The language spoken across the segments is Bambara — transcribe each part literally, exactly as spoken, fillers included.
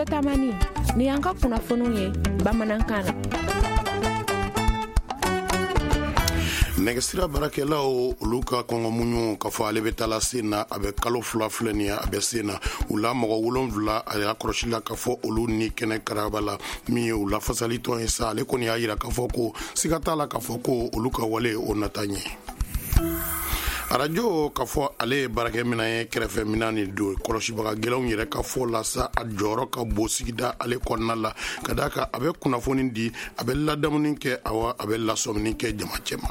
Tamani, ni y'an ka kunnafoniw ye bamanankan na. Nɛgɛsira baarakɛlaw olu ka kɔngɔ muɲu k'a fɔ ale bɛ taa la sen na, a bɛ kalo fila filɛ nin ye, a bɛ sen na. U la mɔgɔ wolonwula a y'a kɔlɔsi la k'a fɔ olu ni kɛnɛ karaba la min ye u lafasalitɔn ye sa, ale kɔni y'a jira k'a fɔ ko siga t'a la k'a fɔ ko olu ka wale o nata ɲɛ. Arajo k'a fɔ ale ye baarakɛminɛn ye, kɛrɛfɛminɛn ni don kɔlɔsibaga gɛlɛnw yɛrɛ ka fɔ la sa, a jɔyɔrɔ ka bon sigida ale kɔnɔna la, ka d'a kan a bɛ kunnafoni di, a bɛ ladamuni kɛ, awa a bɛ lasɔmini kɛ jama cɛma.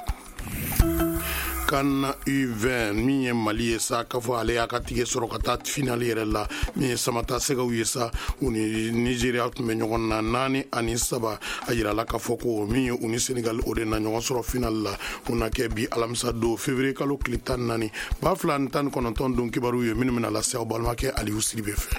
CAN U vingt min ye Mali ye sa, k'a fɔ ale y'a ka tige sɔrɔ ka taa finali yɛrɛ la, min ye Samata Sɛgɛw ye sa, u ni Nigeria tun bɛ ɲɔgɔn na naani ani saba. A yirala k'a fɔ ko min ye u ni Senegal o de na ɲɔgɔn sɔrɔ finali la, o na kɛ bi alamisa don février kalo tile tan ni naani ba fila ni tan ni kɔnɔntɔn don. Kibaru ye minnu bɛna lase aw balimakɛ Aliou Sidibe fɛ.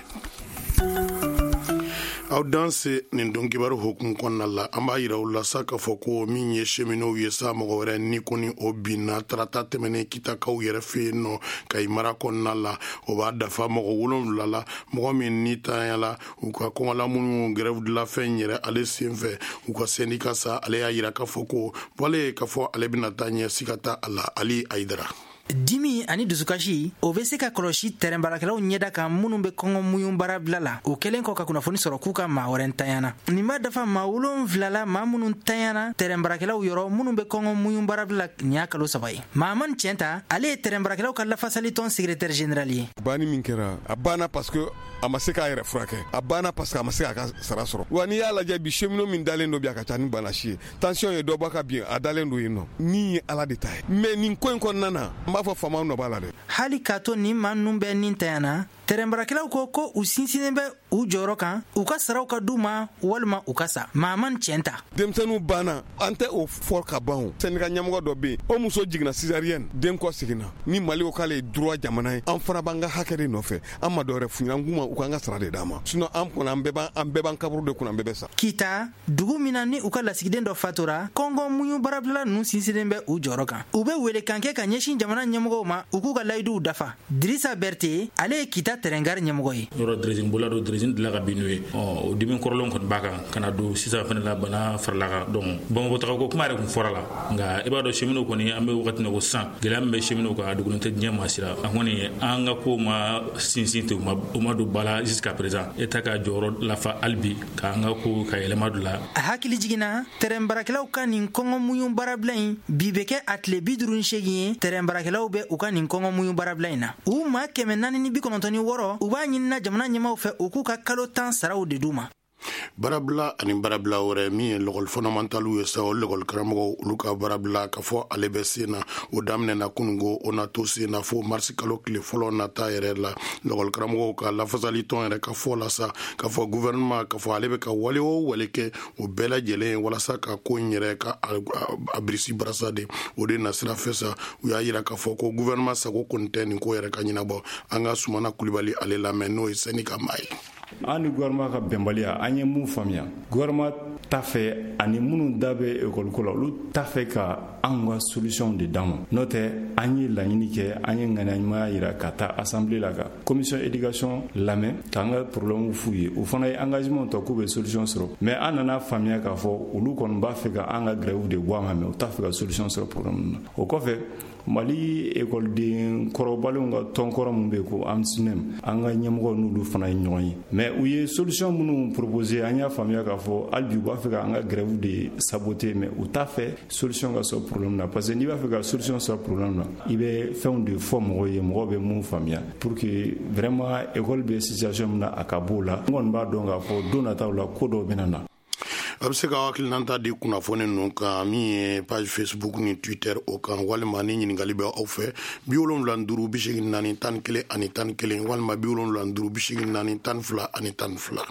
Aw danse nin don kibaru hukumu kɔnɔna la, an b'a yira u la sa k'a fɔ ko min ye cheminots ye sa, mɔgɔ wɛrɛ ni kɔni o binna tarata tɛmɛnen Kitakaw yɛrɛ fɛ yen nɔ Kayi mara kɔnɔna la. O b'a dafa mɔgɔ wolonwula la, mɔgɔ min ni tanyala u ka kɔngɔla minnu grève de la faim yɛrɛ ale senfɛ. U ka syndicat sa, ale y'a yira k'a fɔ ko wale k'a fɔ ale bɛna taa ɲɛ, siga t'a la. Ali Ayidara. Dimi ani dusukasi o bɛ se ka kɔlɔsi tɛrɛn baarakɛlaw ɲɛda kan minnu bɛ kɔngɔ muɲu baara bila la, o kɛlen kɔ ka kunnafoni sɔrɔ k'u ka maa wɛrɛ ntanyana. Nin b'a dafa maa wolonwula la, maa minnu ntanyana tɛrɛn baarakɛlaw yɔrɔ minnu bɛ kɔngɔ muɲu baara bila nin y'a kalo saba ye. Mahamani Tiɲɛta, ale ye tɛrɛn baarakɛlaw ka lafasalitɔn secrétaire général ye. Banni min kɛra, a banna parce que a ma se k'a yɛrɛ furakɛ, a banna parce que a ma se k'a ka sara sɔrɔ. Wa n'i y'a lajɛ bi, cheminot min dalen don bi, a ka ca ni bana si ye. Tension ye dɔ bɔ ka bin, a dalen don yen nɔ. Ni ye Ala de ta ye, mais nin ko in kɔnɔna na, n b'a fɔ faamaw nɔ b'a la dɛ. Hali k'a to nin maa ninnu bɛɛ ni tanyana, tɛrɛn baarakɛlaw ko ko u sinsinnen bɛ u jɔyɔrɔ kan, u ka saraw ka d'u ma walima u ka sa. Mahamani Tiɲɛta. Denmisɛnninw banna, an tɛ o fɔ ka ban. O syndicat ɲɛmɔgɔ dɔ bɛ yen, o muso jiginna césarienne, den kɔ seginna. Ni Mali ko k'ale ye droit jamana ye, an fana b'an ka hakɛ de nɔfɛ. An ma dɔwɛrɛ f'u ɲɛna, an k'u ma u k'an ka sara de d'an ma, sinon an kɔni an bɛɛ b'an an bɛɛ b'an kaburu de kunna, an bɛɛ bɛ sa. Kita, dugu min na ni u ka lasigiden dɔ fatura, kɔngɔ muɲu baarabilala ninnu sinsinnen bɛ u jɔyɔrɔ kan. U bɛ welekan kɛ ka ɲɛsin jamana ɲɛmɔgɔw ma, u k'u ka layiduw dafa. Dirisa Berete, ale ye Kita tɛrɛngari ɲɛmɔgɔ ye. Yɔrɔ dressing bola don, dressing dilan ka bin n'o ye. Ɔ o dimi kɔrɔlen kɔni b'a kan ka na don sisan fana la, bana farala kan. Donc Bamakɔ tagako kuma yɛrɛ kun fɔra la, nka i b'a dɔn cheminots kɔni an bɛ wagati min na ko sisan, gɛlɛya min bɛ cheminots kan, a dogolen tɛ diɲɛ maa si la. A kɔni an ka ko ma sinsin ten, o ma don ba la jusqu'à présent. État ka jɔyɔrɔ lafa hali bi k'an ka ko ka yɛlɛma don la. A hakili jiginna tɛrɛn baarakɛlaw ka nin kɔngɔ muɲu baarabila in bi bɛ kɛ a tile bi duuru ni seegin ye. Tɛrɛn baarakɛlaw bɛ u ka nin kɔngɔ muɲu baarabila in na, u maa kɛmɛ naani ni bi kɔnɔntɔn ni wɔɔrɔ, u b'a ɲinina jamana ɲɛmaaw fɛ u k'u ka kalo tan saraw de d'u ma. Baarabila ani baarabila wɛrɛ min ye lɔgɔli fɔnɔmantaliw ye sa, o lɔgɔli karamɔgɔw olu ka baarabila k'a fɔ ale bɛ sen na, o daminɛna kununko, o na to sen na fo marisi kalo tile fɔlɔ nata yɛrɛ la. Lɔgɔli karamɔgɔw ka lafasalitɔn yɛrɛ ka fɔ la sa k'a fɔ gouvernement k'a fɔ ale bɛ ka wale o wale kɛ, o bɛɛ lajɛlen ye walasa ka ko in yɛrɛ ka a birisi barasa de, o de nasira fɛ sa. U y'a yira k'a fɔ ko gouvernement sago kɔni tɛ nin ko yɛrɛ ka ɲɛnabɔ. An ka Sumana Kulibali ale lamɛn, n'o ye syndicat maa ye. An ni gouvernement ka bɛnbaliya, an ye mun faamuya, gouvernement t'a fɛ ani minnu da bɛ ekɔli ko la, olu t'a fɛ ka anw ka solution de d'an ma. N'o tɛ, an ye laɲini kɛ, an ye ŋaniya ɲumanya yira ka taa assemblée la ka commission éducation lamɛn k'an ka problème f'u ye. U fana ye engagement ta k'u bɛ solution sɔrɔ, mais an nana faamuya k'a fɔ olu kɔni b'a fɛ ka an ka grève de bɔ a ma, mais u t'a fɛ ka solution sɔrɔ problème na. O kɔfɛ, Mali ekɔliden kɔrɔbalenw ka tɔn kɔrɔ min bɛ yen ko AMSINEM, an ka ɲɛmɔgɔ n'olu fana ye ɲɔgɔn ye, mais u ye solution minnu proposer, an y'a faamuya k'a fɔ hali bi u b'a fɛ k'an ka grève de saboter, mais u t'a fɛ solution ka sɔrɔ problème na, parce que n'i b'a fɛ ka solution sɔrɔ problème na, i bɛ fɛnw de fɔ mɔgɔw ye, mɔgɔw bɛ mun faamuya, pour que vraiment école bɛ situation min na, a ka b'o la. N kɔni b'a dɔn k'a fɔ don nataw la, ko dɔw bɛ na na. A bɛ se ka hakilinata di kunnafoni ninnu kan min ye page Facebook ni Twitter o kan, walima ni ɲininkali bɛ aw fɛ, bi wolonwula ni duuru bi seegin naani tan ni kelen ani tan ni kelen, walima bi wolonwula ni duuru bi seegin naani tan ni fila ani tan ni fila.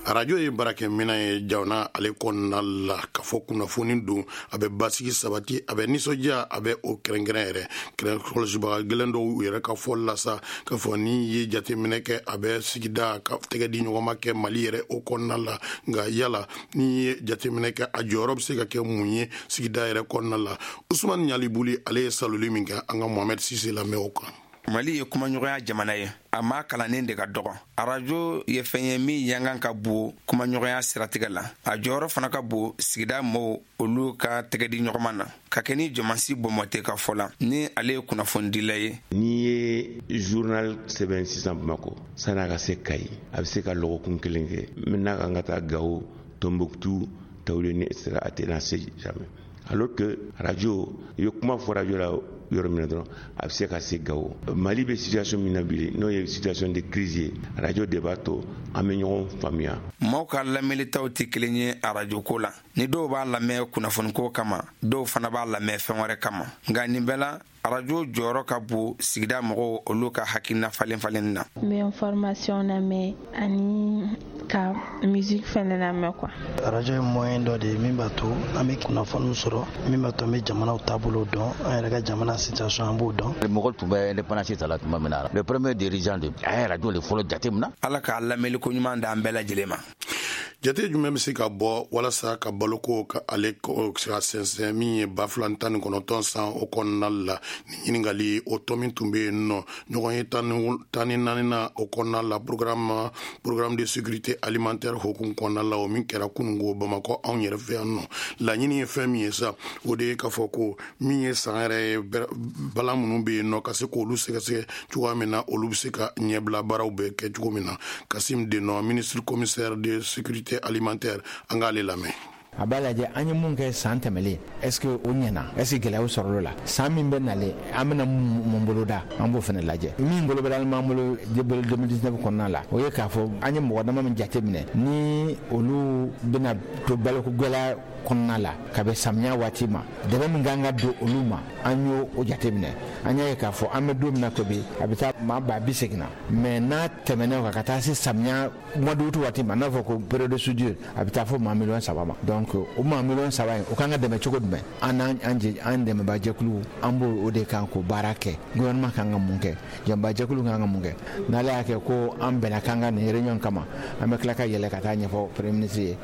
Arajo ye baarakɛminɛn ye jamana ale kɔnɔna la, k'a fɔ kunnafoni don, a bɛ basigi sabati, a bɛ nisɔndiya, a bɛ o kɛrɛnkɛrɛn yɛrɛ kɛrɛn kɔlɔsibaga gɛlɛn dɔw yɛrɛ ka fɔ la sa k'a fɔ ni ye jateminɛ kɛ, a bɛ sigida ka tɛgɛ di ɲɔgɔn ma kɛ Mali yɛrɛ o kɔnɔna la. Nka yala ni ye jateminɛ kɛ, a jɔyɔrɔ bɛ se ka kɛ mun ye sigida yɛrɛ kɔnɔna la? Usumani Ɲalibuli ale ye saloli min kɛ, an ka Mohamed Sise lamɛn o kan. Mali ye kumaɲɔgɔnya jamana ye, a maa kalannen de ka dɔgɔ. Arajo ye fɛn ye min yankan ka bon kumaɲɔgɔnya siratigɛ la. A jɔyɔrɔ fana ka bon sigida mɔgɔw olu ka tɛgɛ di ɲɔgɔn na, ka kɛ ni jɔmansi bɔnmɔte ka fɔ la, ni ale ye kunnafonidila ye. N'i ye journal sɛbɛn sisan Bamakɔ, san'a ka se Kayi, a bɛ se ka lɔgɔkun kelen kɛ. N'a kan ka taa Gawo, Tombouctou, Tawuleni, et cetera, a tɛna se jamais. Alors que radio, i bɛ kuma fɔ radio la yɔrɔ min na dɔrɔn, a bɛ se ka se Gawo. Mali bɛ situation min na bi, n'o ye situation de crise ye, radio de b'a to an bɛ ɲɔgɔn faamuya. Maaw ka lamɛnlitaw tɛ kelen ye arajo ko la. Ni dɔw b'a lamɛn kunnafoniko kama, dɔw fana b'a lamɛn fɛn wɛrɛ kama. Nka nin bɛɛ la, arajo jɔyɔrɔ ka bon sigida mɔgɔw olu ka hakilina falen falen na. N bɛ information lamɛn ani ka musique fɛnɛ lamɛn quoi. Arajo ye moyen dɔ de ye min b'a to an bɛ kunnafoniw sɔrɔ, min b'a to an bɛ jamanaw taabolo dɔn, an yɛrɛ ka jamana situation an b'o dɔn. Mɔgɔ tun bɛ indépendance ta la tuma min na, le premier dirigeant de a ye radio de fɔlɔ jate min na. Ala k'a lamɛnliko ɲuman d'an bɛɛ lajɛlen ma. Jate jumɛn bɛ se ka bɔ walasa ka baloko ka ale ka sɛnsɛn min ye ba fila tan ni kɔnɔntɔn san o kɔnɔna la? Ni ɲininkali o tɔ min tun bɛ yen nɔ, ɲɔgɔn ye tan ni naani na o kɔnɔna la, programme programme de sécurité alimentaire hokumu kɔnɔna la, o min kɛra kununko Bamakɔ anw yɛrɛ fɛ yan nɔ. Laɲini ye fɛn min ye sa, o de ye k'a fɔ ko min ye san yɛrɛ ye, balan minnu bɛ yen nɔ, ka se k'olu sɛgɛsɛgɛ cogoya min na olu bɛ se ka ɲɛbila baaraw bɛɛ kɛ cogo min na. Kasim Denɔ, ministre commissaire de sécurité alimentaire, an k'ale lamɛn. A b'a lajɛ an ye mun kɛ san tɛmɛlen, est ce que o ɲɛna, est ce que gɛlɛyaw sɔrɔla la? San min bɛ nalen, an bɛna mun boloda, an b'o fana lajɛ. Min bolo bɛ b'an bolo deux mille dix-neuf kɔnɔna la, o ye k'a fɔ an ye mɔgɔ dama min jate minɛ ni olu bɛna to baloko gɛlɛya kɔnɔna la ka bɛn samiya waati ma, dɛmɛ min kan ka don olu ma, an y'o o jate minɛ. An y'a ye k'a fɔ an bɛ don min na ko bi, a bɛ taa maa ba bi seegin na, mais n'a tɛmɛna o kan ka taa se samiya mois d'août waati ma, n'a fɔ ko période de soudure, a bɛ taa fo maa miliyɔn saba ma. Donc o maa miliyɔn saba in, o kan ka dɛmɛ cogo jumɛn? An n'an an dɛmɛbaa jɛkulu, an b'o o de kan k'o baara kɛ. Gouvernement kan ka mun kɛ, jɛmɛbaa kan ka mun kɛ? N'ale y'a kɛ ko an bɛnna k'an ka nin réunion kama, an bɛ tila ka yɛlɛ ka taa ɲɛfɔ premier ministre ye.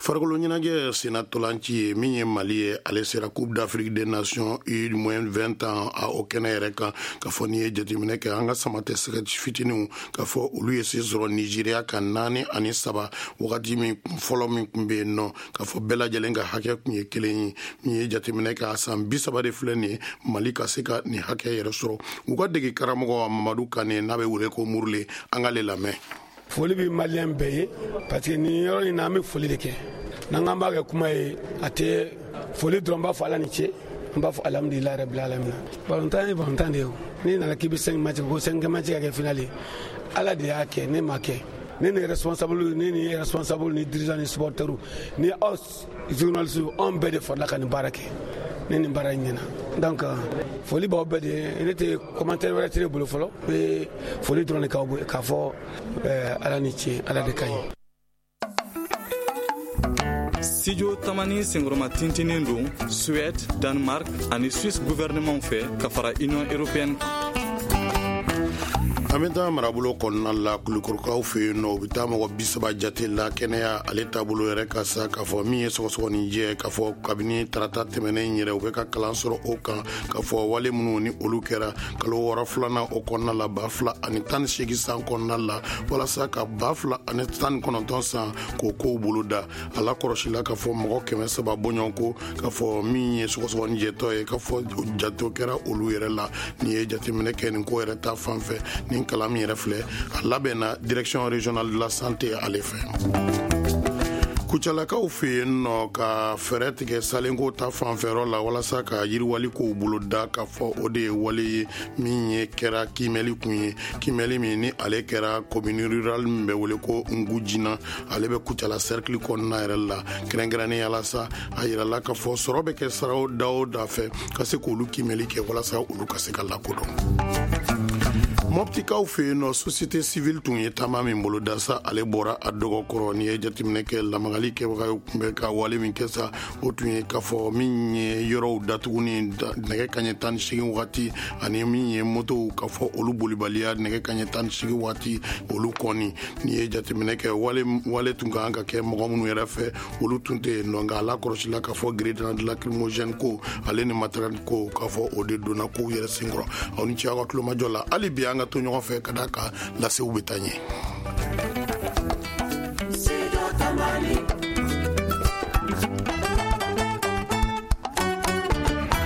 Farikolo ɲɛnajɛ sennatolanci ye min ye Mali ye, ale sera Coupe d'Afrique des Nations U moins vingt ans a o kɛnɛ yɛrɛ kan. Ka fɔ n'i ye jateminɛ kɛ, an ka sama tɛ sɛgɛ fitininw, ka fɔ olu ye se sɔrɔ Nigéria ka naani ani saba. Wagati min fɔlɔ min tun bɛ yen nɔ, ka fɔ bɛɛ lajɛlen ka hakɛ tun ye kelen ye. Min ye jateminɛ kɛ, a san bi saba de filɛ nin ye Mali ka se ka nin hakɛ yɛrɛ sɔrɔ. U ka dege karamɔgɔ Mamadu Kane, n'a bɛ wele ko Murule, an k'ale lamɛn. Foli bɛ maliyɛn bɛɛ ye, parce que nin yɔrɔ in na, an bɛ foli de kɛ. N'an k'an b'a kɛ kuma ye, a tɛ foli dɔrɔn. B'a fɔ Ala ni ce, an b'a fɔ alhamdulilayi rabil alamina. Balontan ye balontan de ye. O n'i nana k'i bɛ cinq match, ko cinq match ka kɛ finale ye, Ala de y'a kɛ, ne ma kɛ. Ne ni responsable, ne ni responsable ni dirigeant ni supporter ni aw journaliste, anw bɛɛ de farala ka nin baara kɛ. Ne nin baara in ɲɛna, donc foli b'aw bɛɛ de ye. Ne tɛ commentaire wɛrɛ tɛ ne bolo fɔlɔ, n bɛ foli dɔrɔn de k'aw k'a fɔ Ala ni ce, Ala de ka ɲi. Studio Tamani senkɔrɔma tintinen don Suède, Danemark ani Suisse gouvernement fɛ ka fara Union européenne kan. An bɛ taa marabolo kɔnɔna la, Kulukorokaw fɛ yen nɔ. U bɛ taa mɔgɔ bi saba jate la kɛnɛya ale taabolo yɛrɛ ka sa, k'a fɔ min ye sɔgɔsɔgɔnijɛ, k'a fɔ kabini tarata tɛmɛnen yɛrɛ, u bɛ ka kalan sɔrɔ o kan, k'a fɔ wale minnu ni olu kɛra kalo wɔɔrɔ filanan o kɔnɔna la ba fila ani tan ni seegin san kɔnɔna la, walasa ka ba fila ani tan ni kɔnɔntɔn san k'o kow bolo da. A la kɔlɔsila k'a fɔ mɔgɔ kɛmɛ saba bɔɲɔgɔn ko, k'a fɔ min ye sɔgɔsɔgɔnijɛtɔ ye, k'a fɔ jatew kɛra olu yɛrɛ la. N'i ye jateminɛ kɛ nin ko yɛrɛ ta fan fɛ, nin kalan min yɛrɛ filɛ, a labɛnna Direction régionale de la santé ale fɛ. Kucalakaw fɛ yen nɔ, ka fɛɛrɛ tigɛ salenko ta fanfɛyɔrɔ la walasa ka yiriwali kow bolo da, k'a fɔ o de ye wale ye min ye kɛra kiimɛli kun ye, kiimɛli min ni ale kɛra commune rurale min bɛ wele ko Ngujina, ale bɛ Kucala cercle kɔnɔna yɛrɛ la kɛrɛnkɛrɛnnenya la sa. A yirala k'a fɔ sɔrɔ bɛ kɛ siraw da o da fɛ ka se k'olu kiimɛli kɛ walasa olu ka se ka lakodɔn. Mɔptikaw fɛ yen nɔ, société civile tun ye taama min boloda sa, ale bɔra a dɔgɔkɔrɔ. N'i ye jateminɛ kɛ, lamagali kɛbaga tun bɛ ka wale min kɛ sa, o tun ye k'a fɔ min ye yɔrɔw datuguni nɛgɛ kaɲɛ tan ni seegin wagati, ani min ye motow k'a fɔ olu bolibaliya nɛgɛ kaɲɛ tan ni seegin wagati, olu kɔni. N'i ye jateminɛ kɛ, wale wale tun ka kan ka kɛ mɔgɔ minnu yɛrɛ fɛ, olu tun tɛ yen nɔ. Nka a lakɔlɔsila k'a fɔ grenade lacrymogène ko ale ni matériel ko, k'a fɔ o de donna kow yɛrɛ senkɔrɔ. Aw ni ce aw ka tulomajɔ la. Hali bi an ka to ɲɔgɔn fɛ ka d'a kan lasew bɛ taa ɲɛ.